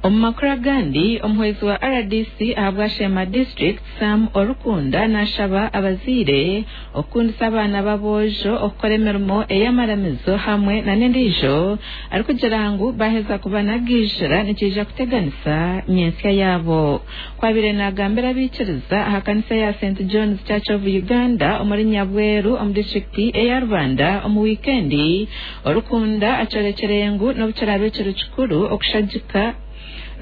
Omu makuru agandi, omuhwezi wa RDC ahabwa Sheema District, Sam Orikunda nashaba abazaire okukundisa abaana b'aboojo okukora emirimo ey'amaramizo hamwe n'endiijo arikugira ngu baaheza kubanagiijira nikiija kuteganisa nyentsya yaabo. Ku abaire naagambira abaikiriza aha kanisa ya St John's Church of Uganda omuri Nyabweru omu disiturikiti eya Rubanda omu wiikendi, Orikunda akyorekire ngu n'obu kiraabe kiri kikuru okushagika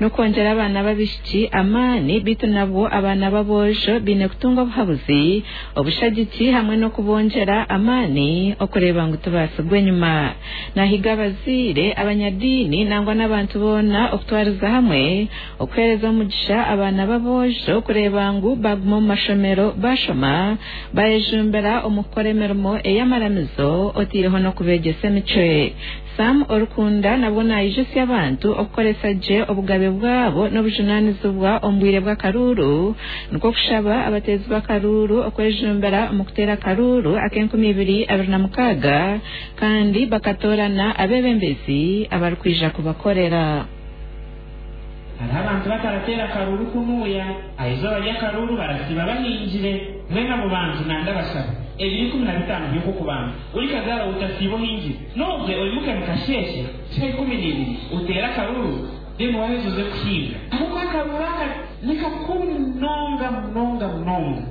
n'okwongyera abaana b'abaishiki amaani beitu nabwo abaana b'aboojo baine kutunga obuhabuzi, obushagiki hamwe n'okubongyera amaani okureeba ngu tibaatsigwa enyima. Naahiga abazaire, abanyadiini nangwa n'abantu boona okutwariza hamwe okuheereza omugisha abaana b'aboojo kureeba ngu baaguma omu mashomero baashoma, bayejumbira omu kukora emirimo ey'amaramizo oteireho n'okubeegyesa emicwe. Sam Orikunda nabwo naijutsya abantu okukoresa gye obugabe bwabo n'obujunaanizibwa omu bwire bw'akaruuru nikwo kushaba abateezi b'akaruuru okwejumbira omu kuteera akaruuru ak'enkumibiri abiri na mukaaga kandi bakatoorana abeebembezi abarikwija kubakorera. Hariho abantu batarateera akaruuru kunuuya aha izooba ry'akaruuru barasiiba bahingire. Mbwenu abo bantu nandabashaba ebiro 15 by'okw'okubanza ori kazaara otasiiba ohingire, n'obwe oimuke mukasheeshe shaaha 12 oteere akaruuru, then waheza oze kuhinga, ahabw'okuba akaruuru aka ni kakuru munonga munonga munonga.